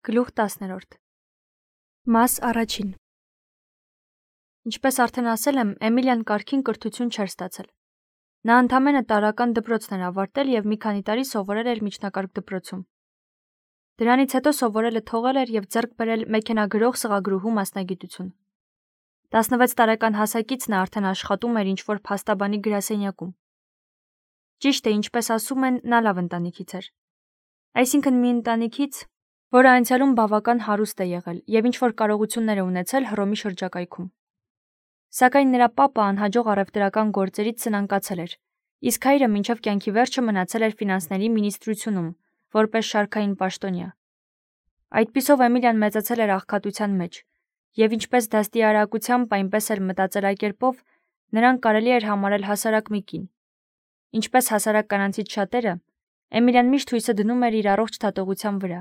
Գլուխ 10 Մաս առաջին Ինչպես արդեն ասել եմ, Էմիլիան կարգին կրթություն չէր ստացել։ Նա ընդամենը տարրական դպրոցն էր ավարտել և մի քանի տարի սովորել էր միջնակարգ դպրոցում։ Դրանից հետո սովորելը թողել էր և ձեռք բերել մեքենագրող սղագրուհու մասնագիտություն։ 16 տարեկան հասակից նա արդեն աշխատում էր ինչ-որ փաստաբանի գրասենյակում։ Ճիշտ է, ինչպես ասում են, նա լավ ընտանիքից էր։ Այսինքն մի ընտանիքից, որը անցյալում բավական հարուստ է եղել և ինչ-որ կարողություններ է ունեցել Հռոմի շրջակայքում։ Սակայն նրա պապը անհաջող առևտրական գործերից սնանկացել էր, իսկ հայրը մինչև կյանքի վերջը մնացել էր ֆինանսների մինիստրությունում, որպես շարքային պաշտոնյա։ Այդպիսով Էմիլիան մեծացել էր աղքատության մեջ, և ինչպես դաստիարակությամբ, այնպես էլ մտածելակերպով նրան կարելի էր համարել հասարակ մի կին։ Ինչպես հասարակ կանանցից շատերը, Էմիլիան միշտ հույսը դնում էր իր առողջ դատողության վրա,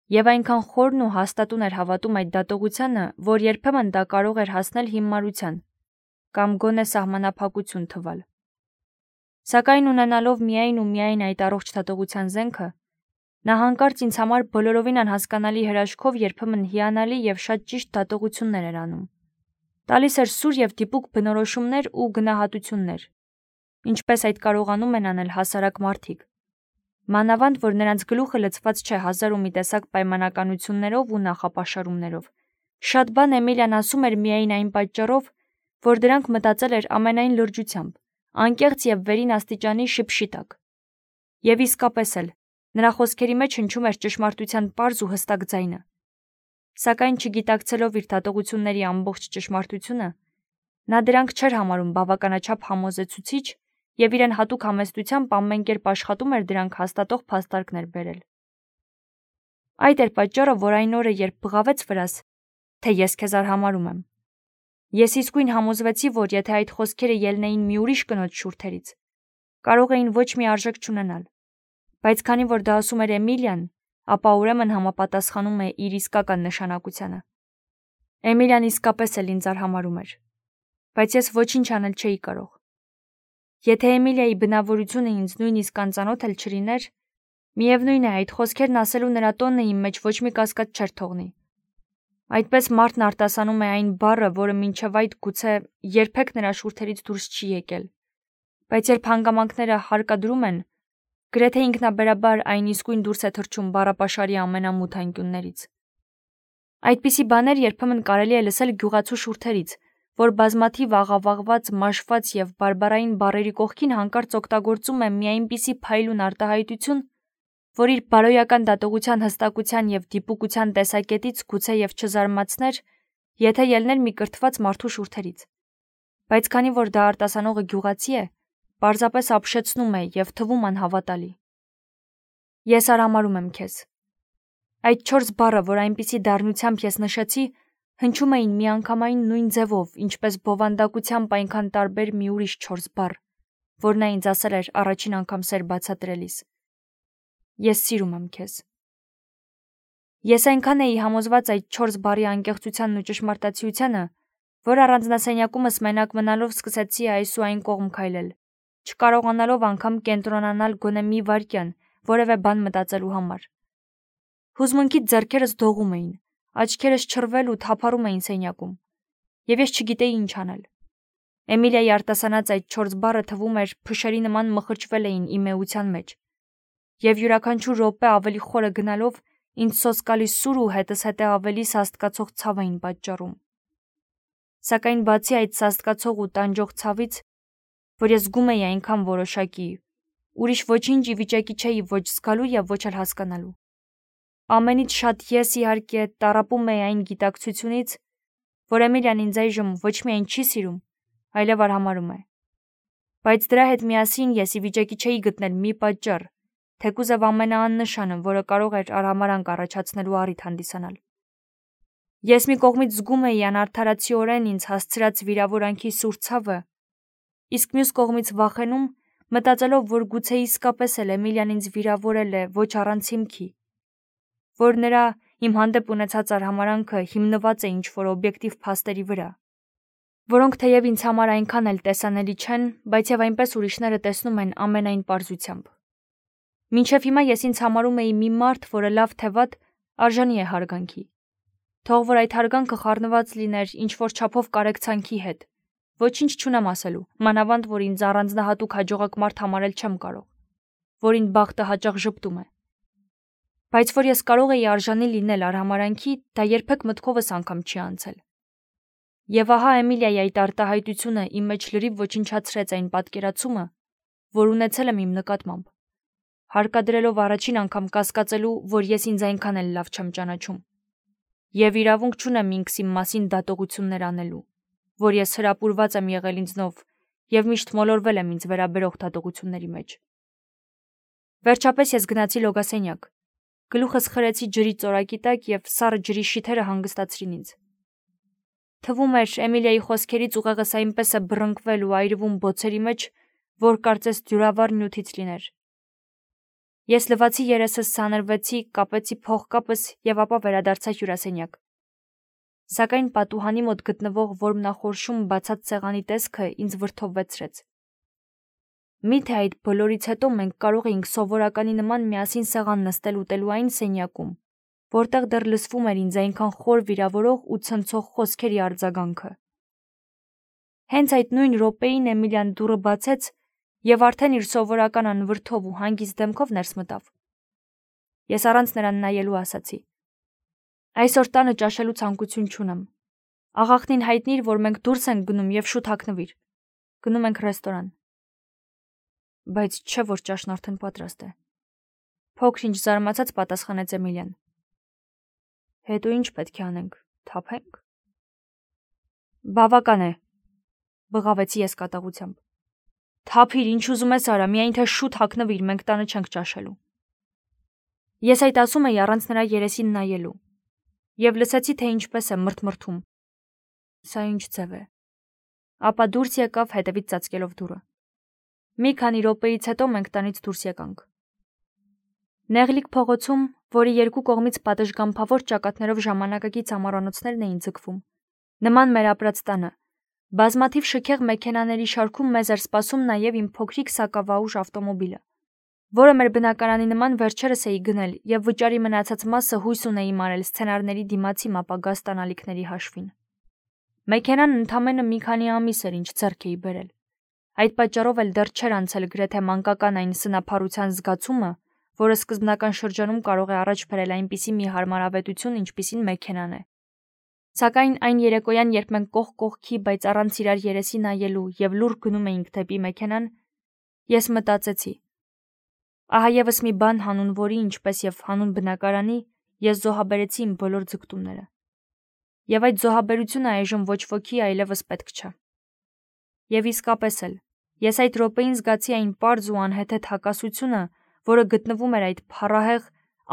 և այնքան խորն ու հաստատուն էր հավատում այդ դատողությանը, որ երբեմն դա կարող էր հասնել հիմարության կամ գոնե սահմանափակություն թվալ։ Սակայն ունենալով միայն ու միայն այդ առողջ դատողության զենքը, նա հանկարծ ինձ համար բոլորովին անհասկանալի հրաշքով երբեմն հիանալի և շատ ճիշտ դատողություններ էր անում։ Տալիս էր սուր և դիպուկ բնորոշումներ ու գնահատություններ, ինչպես այդ կարողանում են անել հասարակ մարդիկ։ Մանավանդ, որ նրանց գլուխը լցված չէ հազար ու մի տեսակ պայմանականություններով ու նախապաշարումներով։ Շատ բան Էմիլիան ասում էր միայն այն պատճառով, որ դրանք մտածել էր ամենայն լրջությամբ, անկեղծ և վերին աստիճանի շփշի տակ։ Եվ իսկապես էլ, նրա խոսքերի մեջ հնչում էր ճշմարտության պարզ ու հստակ ձայնը։ Սակայն չգիտակցելով իր դատողությունների ամբողջ ճշմարտությունը, նա դրանք չէր համարում բավականաչափ համոզեցուցիչ և իրեն հատուկ համեստությամբ ամեն կերպ աշխատում էր դրանք հաստատող փաստարկներ բերել։ Այդ էր պատճառը, որ այն օրը, երբ բղավեց վրաս, թե ես քեզ արհամարհում եմ, ես իսկույն համոզվեցի, որ եթե այդ խոսքերը ելնեին մի ուրիշ կնոջ շուրթերից, կարող էին ոչ մի արժեք չունենալ, բայց քանի որ դա ասում էր Էմիլիան, ապա ուրեմն համապատասխանում է իր իսկական նշանակությանը։ Էմիլիան իսկապես էլ ինձ արհամարհում էր, բայց ես ոչինչ անել չէի կարող։ Եթե Էմիլիայի բնավորությունը ինձ նույնիսկ անծանոթ էլ չլիներ, միևնույն է, այդ խոսքերն ասելու նրա տոնը իմ մեջ ոչ մի կասկած չէր թողնի։ Այդպես մարդն արտասանում է այն բառը, որը մինչև այդ գուցե երբեք նրա շուրթերից դուրս չի եկել, բայց երբ հանգամանքները հարկադրում են, գրեթե ինքնաբերաբար այն իսկույն դուրս է թռչում բառապաշարի ամենամութ անկյուններից։ Այդպիսի բաներ երբեմն կարելի է լսել գյուղացու շուրթերից, որ բազմաթիվ աղավաղված, մաշված և բարբառային բառերի կողքին հանկարծ օգտագործում է մի այնպիսի փայլուն արտահայտություն, որ իր բարոյական դատողության հստակության և դիպուկության տեսակետից գուցե և չզարմացներ, եթե ելներ մի կրթված մարդու շուրթերից։ Բայց քանի որ դա արտասանողը գյուղացի է, պարզապես ապշեցնում է և թվում անհավատալի։ Ես արհամարհում եմ քեզ։ Այդ 4 բառը, որ այնպիսի դառնությամբ ես նշեցի, հնչում էին միանգամայն նույն ձևով, ինչպես բովանդակությամբ այնքան տարբեր մի ուրիշ 4 բառ, որ նա ինձ ասել էր առաջին անգամ սեր բացատրելիս։ Ես սիրում եմ քեզ։ Ես այնքան էի համոզված այդ 4 բառի անկեղծությանն ու ճշմարտացիությանը, որ առանձնասենյակումս մենակ մնալով սկսեցի այս ու այն կողմ քայլել, չկարողանալով անգամ կենտրոնանալ գոնե մի վայրկյան որևէ բան մտածելու համար։ Հուզմունքից ձեռքերս դողում էին, աչքերս չռվել ու թափառում էին սենյակում, և ես չգիտեի ինչ անել։ Էմիլիայի արտասանած այդ 4 բառը թվում էր փշերի նման մխրճվել էին իմ էության մեջ, և յուրաքանչյուր րոպե ավելի խորը գնալով ինձ սոսկալի սուր ու հետզհետե ավելի սաստկացող ցավ էին պատճառում։ Սակայն բացի այդ սաստկացող ու տանջող ցավից, որ ես զգում էի այնքան որոշակի, ուրիշ ոչինչ ի վիճակի չէի ոչ զգալու և ոչ էլ հասկանալու։ Ամենից շատ ես, իհարկե, տառապում էի այն գիտակցությունից, որ Էմիլիան ինձ այժմ ոչ միայն չի սիրում, այլև արհամարհում է։ Բայց դրա հետ միասին ես ի վիճակի չէի գտնել մի պատճառ, թեկուզև ամենաաննշանը, որը կարող էր արհամարանք առաջացնելու առիթ հանդիսանալ։ Ես մի կողմից զգում էի անարդարացիորեն ինձ հասցրած վիրավորանքի սուր ցավը, իսկ մյուս կողմից վախենում, մտածելով, որ գուցե իսկապես էլ Էմիլիան ինձ վիրավորել է ոչ առանց հիմքի, որ նրա իմ հանդեպ ունեցած արհամարանքը հիմնված է ինչ-որ օբյեկտիվ փաստերի վրա, որոնք թեև ինձ համար այնքան էլ տեսանելի չեն, բայց և այնպես ուրիշները տեսնում են ամենայն պարզությամբ։ Մինչև հիմա ես ինձ համարում էի մի մարդ, որը լավ թե վատ Արժանի է հարգանքի։ Թող որ այդ հարգանքը խառնված լիներ ինչ-որ չափով կարեկցանքի հետ։ Ոչինչ չունեմ ասելու, մանավանդ որ ինձ առանձնահատուկ հաջողակ մարդ համարել չեմ կարող, որին բախտը հաճախ ժպտում է։ Բայց որ ես կարող էի արժանի լինել արհամարանքի, դա երբեք մտքովս անգամ չի անցել։ Եվ ահա Էմիլիայի այդ արտահայտությունը իմ մեջ լրիվ ոչնչացրեց այն պատկերացումը, որ ունեցել եմ իմ նկատմամբ, հարկադրելով առաջին անգամ կասկածելու, որ ես ինձ այնքան էլ լավ չեմ ճանաչում, եւ իրավունք չունեմ ինքս իմ մասին դատողություններ անելու, որ ես հրապուրված եմ եղել ինձնով եւ միշտ մոլորվել եմ ինձ վերաբերող դատողությունների մեջ։ Վերջապես ես գնացի լոգասենյակ, գլուխս խրեցի ջրի ծորակի տակ եւ սառը ջրի շիթերը հանգստացրին ինձ։ Թվում էր Էմիլիայի խոսքերից ուղեղս այնպես է բռնկվել ու այրվում բոցերի մեջ, որ կարծես դյուրավառ նյութից լիներ։ Ես լվացի երեսս, սանրվեցի, կապեցի փողկապս եւ ապա վերադարձա հյուրասենյակ։ Սակայն պատուհանի մոտ գտնվող որմնախորշում բացած սեղանի տեսքը ինձ վրդովվեցրեց։ Միթե այդ բոլորից հետո մենք կարող էինք սովորականի նման միասին սեղան նստել ուտելու այն սենյակում, որտեղ դեռ լսվում էր ինձ այնքան խոր վիրավորող ու ցնցող խոսքերի արձագանքը։ Հենց այդ նույն րոպեին Էմիլիան դուռը բացեց եւ արդեն իր սովորական անվրդով ու հանգիստ դեմքով ներս մտավ։ Ես առանց նրան նայելու ասացի. Այսօր տանը ճաշելու ցանկություն չունեմ։ Աղախնին հայտնիր, որ մենք դուրս ենք գնում եւ շուտ հագնվիր։ Գնում ենք ռեստորան։ Բայց չէ որ ճաշն արդեն պատրաստ է։ Փոքր-ինչ զարմացած պատասխանեց Էմիլիան։ Հետո ինչ պետք է անենք, թափենք։ Բավական է, բղավեցի ես կատաղությամբ։ Թափիր, ինչ ուզում ես արա, միայն թե շուտ հագնվիր, մենք տանը չենք ճաշելու։ Ես այդ ասում էի առանց նրա երեսին նայելու, եւ լսեցի, թե ինչպես է մրթմրթում։ Սա ինչ ձև է։ Ապա դուրս եկավ հետևից ծածկելով դուռը։ Մի քանի րոպեից հետո մենք տանից դուրս եկանք։ Նեղլիկ փողոցում, որի երկու կողմից պատշգամբավոր ճակատներով ժամանակակից ամառանոցներն էին ձգվում, նման մեր ապրած տանը, բազմաթիվ շքեղ մեքենաների շարքում մեզ էր սպասում նաև իմ փոքրիկ սակավաուժ ավտոմոբիլը, որը մեր բնակարանի նման վերջերս էի գնել եւ վճարի մնացած մասը հույս ունեի մարել սցենարների դիմացի ապագա ստանալիքների հաշվին։ Մեքենան ընդամենը մի քանի ամիս էր ինչ ձեռք էի բերել։ Այդ պատճառով էլ դեռ չէր անցել գրեթե մանկական այն սնափառության զգացումը, որը սկզբնական շրջանում կարող է առաջ բերել այնպիսի մի հարմարավետություն, ինչպիսին մեքենան է։ Սակայն այն երեկոյան, երբ մենք կողք կողքի, բայց առանց իրար երեսի նայելու եւ լուռ գնում էինք դեպի մեքենան, ես մտածեցի. ահա եւս մի բան հանուն որի, ինչպես եւ հանուն բնակարանի, ես զոհաբերեցի իմ բոլոր ձգտումները։ Եվ այդ զոհաբերությունը այժմ ոչ ոքի այլևս պետք չէ։ Եվ իսկապես էլ, ես այդ րոպեին զգացի այն պարզ ու անհեթեթ հակասությունը, որը գտնվում էր այդ փառահեղ,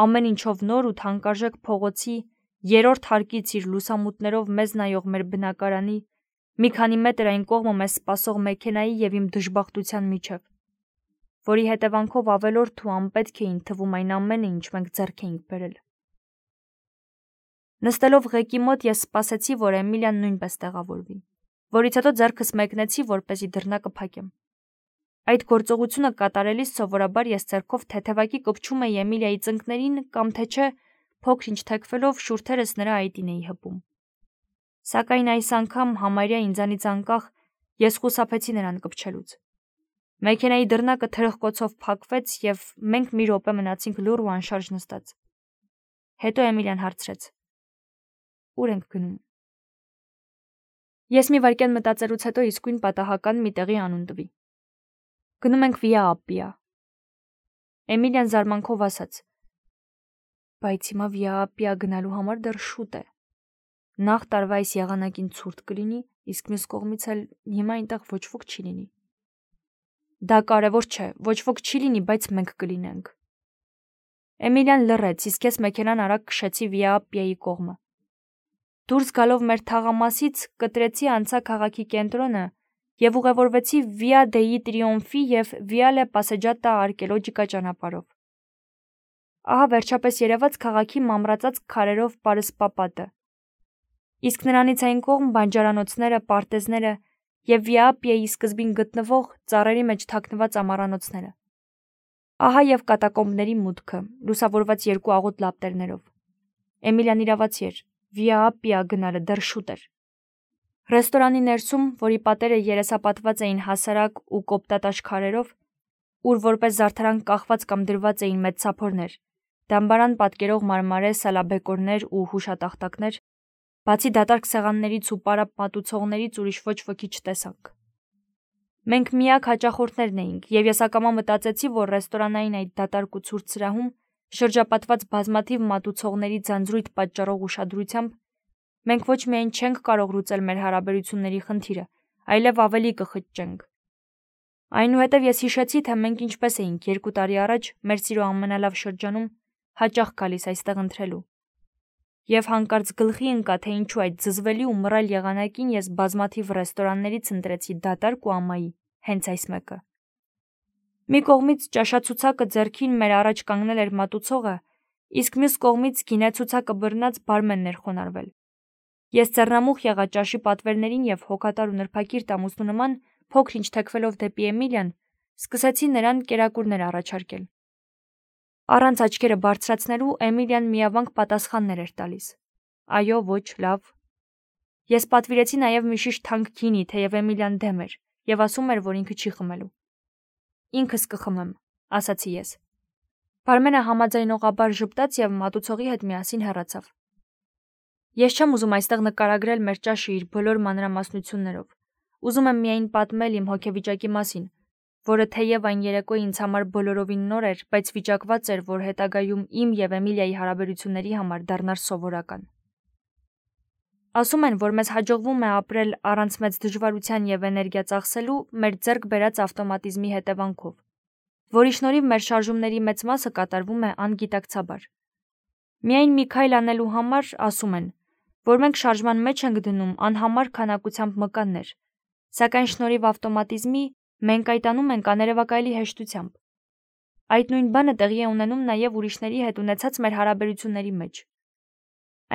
ամեն ինչով նոր ու թանկարժեք փողոցի երրորդ հարկից իր լուսամուտներով մեզ նայող մեր բնակարանի, մի քանի մետր այն կողմը մեզ սպասող մեքենայի եւ իմ դժբախտության միջև, որի հետևանքով ավելորդ ու անպետք էին թվում այն ամենը, ինչ մենք ձեռք էինք բերել։ Նստելով ղեկի մոտ ես սպասեցի, որ Էմիլիան նույնպես տեղավորվի, որից հետո ձեռքս մեկնեցի, որպեսզի դռնակը փակեմ։ Այդ գործողությունը կատարելիս սովորաբար ես ձեռքով թեթևակի կպչում էի Էմիլիայի ծնկներին կամ թե չէ փոքր-ինչ թեքվելով շուրթերս նրա այտին էի հպում։ Սակայն այս անգամ համարյա ինձանից անկախ ես խուսափեցի նրան կպչելուց։ Մեքենայի դռնակը թրխկոցով փակվեց եւ մենք մի րոպե մնացինք լուռ ու անշարժ նստած։ Հետո Էմիլիան հարցրեց. Ուր ենք գնում։ Ես մի վայրկյան մտածելուց հետո իսկույն պատահական մի տեղի անուն տվի։ Գնում ենք Վիա Ապպիա։ Էմիլիան զարմանքով ասաց. Բայց հիմա Վիա Ապպիա գնալու համար դեռ շուտ է։ Նախ տարվա այս եղանակին ցուրտ կլինի, իսկ մյուս կողմից էլ հիմա այնտեղ ոչ ոք չի լինի։ Դա կարևոր չէ, ոչ ոք չի լինի, բայց մենք կլինենք։ Էմիլիան լռեց, իսկ ես մեքենան արագ քշեցի Վիա Ապպիայի կողմը։ Դուրս գալով մեր թաղամասից կտրեցի անցա քաղաքի կենտրոնը եւ ուղևորվեցի Վիա դեի Տրիոմֆի եւ Վիալե Պասեջատա արկեոլոգիկա ճանապարհով։ Ահա վերջապես երևաց քաղաքի մամրացած քարերով պարսպապատը։ Իսկ նրանից այն կողմ բանջարանոցները, պարտեզները եւ Վիա Ապպիայի սկզբին գտնվող ծառերի մեջ թաքնված ամառանոցները։ Ահա եւ կատակոմբների մուտքը, լուսավորված երկու աղոտ լապտերներով։ Էմիլիան իրավացի էր, Վիա Ապպիա գնալը դեռ շուտ էր։ Ռեստորանի ներսում, որի պատերը երեսապատված էին հասարակ ու կոպտատաշ քարերով, ուր որպես զարդարանք կախված կամ դրված էին մեծ սափորներ, դամբարան պատկերող մարմարե սալաբեկորներ ու հուշատախտակներ, բացի դատարկ սեղաններից ու պարապ մատուցողներից ուրիշ ոչ ոքի չտեսանք։ Մենք միակ հաճախորդներն էինք, եւ ես ակամա մտածեցի, որ ռեստորանային այդ դատարկ ու ցուրտ սրահում, շրջապատված բազմաթիվ մատուցողների ձանձրույթ պատճառող ուշադրությամբ, մենք ոչ միայն չենք կարող լուծել մեր հարաբերությունների խնդիրը, այլև ավելի կխճճենք։ Այնուհետև ես հիշեցի, թե մենք ինչպես էինք 2 տարի առաջ մեր սիրո ամենալավ շրջանում հաճախ գալիս այստեղ ընթրելու։ Եվ հանկարծ գլխի ընկա, թե ինչու այդ զզվելի ու մռայլ եղանակին ես բազմաթիվ ռեստորաններից ընտրեցի դատարկ ու ամայի, հենց այս մեկը։ Մի կողմից ճաշացուցակը ձեռքին մեր առաջ կանգնել էր մատուցողը, իսկ մյուս կողմից գինեցուցակը բռնած բարմենն էր խոնարհվել։ Ես ձեռնամուխ եղա ճաշի պատվերներին եւ հոգատար ու նրբակիրթ ամուսնու նման փոքր-ինչ թեքվելով դեպի Էմիլիան, սկսեցի նրան կերակուրներ առաջարկել։ Առանց աչքերը բարձրացնելու Էմիլիան միավանք պատասխաններ էր տալիս։ Այո, ոչ, լավ։ Ես պատվիրեցի նաև մի շիշ թանկ գինի, թեև Էմիլիան դեմ էր եւ ասում էր, որ ինքը չի խմելու։ Ինքս կխմեմ, ասացի ես։ Բարմենը համաձայնողաբար ժպտաց եւ մատուցողի հետ միասին հեռացավ։ Ես չեմ ուզում այստեղ նկարագրել մեր ճաշը իր բոլոր մանրամասնություններով։ Ուզում եմ միայն պատմել իմ հոգեվիճակի մասին, որը թեև այն երեկոյը ինձ համար բոլորովին նոր էր, բայց վիճակված էր, որ հետագայում իմ եւ Էմիլիայի հարաբերությունների համար դառնար սովորական։ Ասում են, որ մեզ հաջողվում է ապրել առանց մեծ դժվարության եւ էներգիա ծախսելու մեր ձեռք բերած ավտոմատիզմի հետևանքով, որի շնորհիվ մեր շարժումների մեծ մասը կատարվում է անգիտակցաբար։ Միայն մի քայլ անելու համար ասում են, որ մենք շարժման մեջ ենք դնում անհամար քանակությամբ մկաններ, սակայն շնորհիվ ավտոմատիզմի մենք այդ անում ենք աներևակայելի հեշտությամբ։ Այդ նույն բանը տեղի է ունենում նաև ուրիշների հետ ունեցած մեր հարաբերությունների մեջ։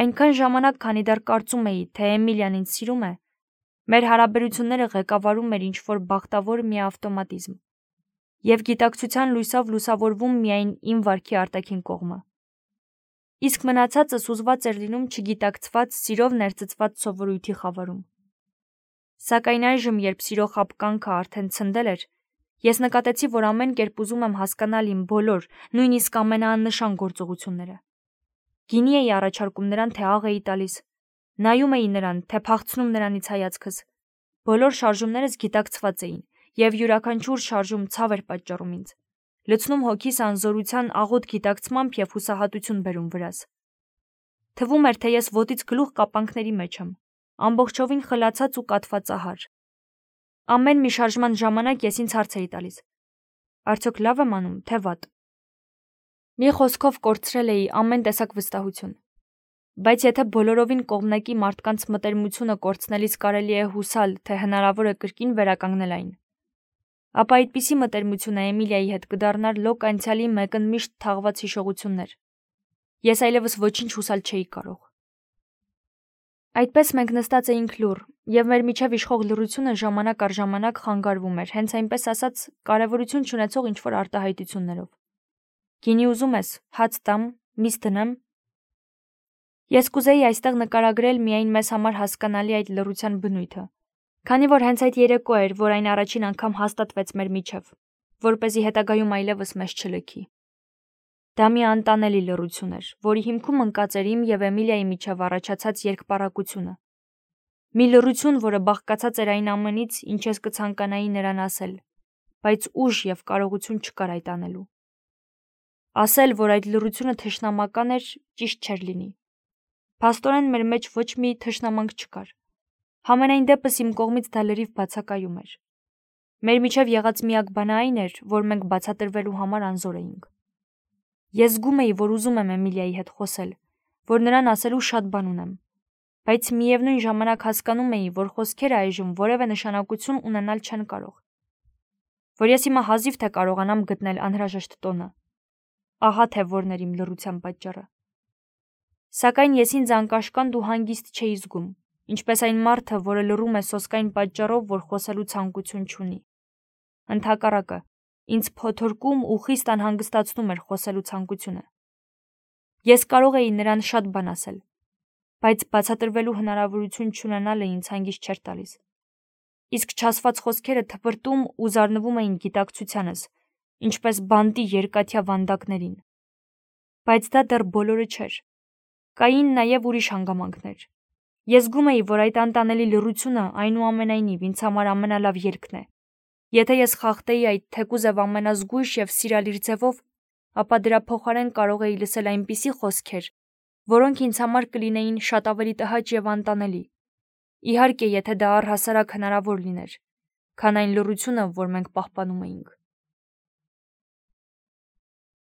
Այնքան ժամանակ, քանի դեռ կարծում էի, թե Էմիլիան ինձ սիրում է, մեր հարաբերությունները ղեկավարում էր ինչ-որ բախտավոր մի ավտոմատիզմ, եւ գիտակցության լույսով լուսավորվում միայն իմ վարքի արտաքին կողմը։ Իսկ մնացածը սուզված էր լինում չգիտակցված, սիրով ներծծված սովորույթի խավարում։ Սակայն այժմ, երբ սիրո խաբկանքը արդեն ցնդել էր, ես նկատեցի, որ ամեն կերպ ուզում եմ հասկանալ իմ բոլոր, նույնիսկ ամենաաննշան գործողությունները։ Գինի էի առաջարկում նրան, թե աղ էի տալիս, նայում էի նրան, թե փախցնում նրանից հայացքս։ Բոլոր շարժումներս գիտակցված էին, եւ յուրաքանչյուր շարժում ցավ էր պատճառում ինձ, լցնում հոգիս անզորության աղոտ գիտակցմամբ եւ հուսահատություն բերում վրաս։ Թվում էր, թե ես ոտից գլուխ կապանքների մեջ եմ, ամբողջովին խլացած ու կաթվածահար։ Ամեն մի շարժման ժամանակ ես ինձ հարց էի տալիս. արդյոք լավ եմ անում, թե վատ։ Մի խոսքով կորցրել էի ամեն տեսակ վստահություն։ Բայց եթե բոլորովին կողմնակի մարդկանց մտերմությունը կորցնելիս կարելի է հուսալ, թե հնարավոր է կրկին վերականգնել այն, ապա այդպիսի մտերմությունը Էմիլիայի հետ կդառնար լոկ անցյալի մեկընդմիշտ թաղված հիշողություններ։ Ես այլևս ոչինչ հուսալ չէի կարող։ Այդպես մենք նստած էինք լուռ, եւ մեր միջև իշխող լռությունը ժամանակ առ ժամանակ խանգարվում էր, հենց այնպես ասած, կարևորություն չունեցող ինչ-որ արտահայտություններով։ Գինի ուզում ես, հաց տամ, միս դնեմ։ Ես կուզեի այստեղ նկարագրել միայն մեզ համար հասկանալի այդ լռության բնույթը, քանի որ հենց այդ երեկո էր, որ այն առաջին անգամ հաստատվեց մեր միջև, որպեսզի հետագայում այլևս մեզ չլքի։ Դա մի անտանելի լռություն էր, որի հիմքում ընկած էր իմ եւ Էմիլիայի միջև առաջացած երկպառակությունը։ Մի լռություն, որը բաղկացած էր այն ամենից, ինչ ես կցանկանայի նրան ասել, բայց ուժ եւ կարողություն չկար այդ անելու։ Ասել, որ այդ լռությունը թշնամական էր, ճիշտ չէր լինի։ Փաստորեն մեր մեջ ոչ մի թշնամանք չկար։ Համենայն դեպս իմ կողմից դա լրիվ բացակայում էր։ Մեր միջև եղած միակ բանը այն էր, որ մենք բացատրվելու համար անզոր էինք։ Ես զգում էի, որ ուզում եմ Էմիլիայի հետ խոսել, որ նրան ասելու շատ բան ունեմ, բայց միևնույն ժամանակ հասկանում էի, որ խոսքերը այժմ որևէ նշանակություն ունենալ չեն կարող, որ ես հիմա հազիվ թե կարողանամ գտնել անհրաժեշտ տոնը։ Ահա թե որն էր իմ լռության պատճառը։ Սակայն ես ինձ անկաշկանդ ու հանգիստ չէի զգում, ինչպես այն մարդը, որը լռում է սոսկայն պատճառով, որ խոսելու ցանկություն չունի։ Ընդհակառակը, ինձ փոթորկում ու խիստ անհանգստացնում էր խոսելու ցանկությունը։ Ես կարող էի նրան շատ բան ասել, բայց բացատրվելու հնարավորություն չունենալը ինձ հանգիստ չէր տալիս։ Իսկ չասված խոսքերը թպրտում ու զարնվում էին գիտակցությանս, ինչպես բանտի երկաթյա վանդակներին։ Բայց դա դեռ բոլորը չէր։ Կային նաև ուրիշ հանգամանքներ։ Ես զգում էի, որ այդ անտանելի լռությունը այնուամենայնիվ ինձ համար ամենալավ ելքն է։ Եթե ես խախտեի այդ թեկուզև ամենազգույշ և սիրալիր ձևով, ապա դրա փոխարեն կարող էի լսել այնպիսի խոսքեր, որոնք ինձ համար կլինեին շատ ավելի տհաճ և անտանելի։ Իհարկե, եթե դա առհասարակ հնարավոր լիներ, քան այն լռությունը, որ մենք պահպանում էինք։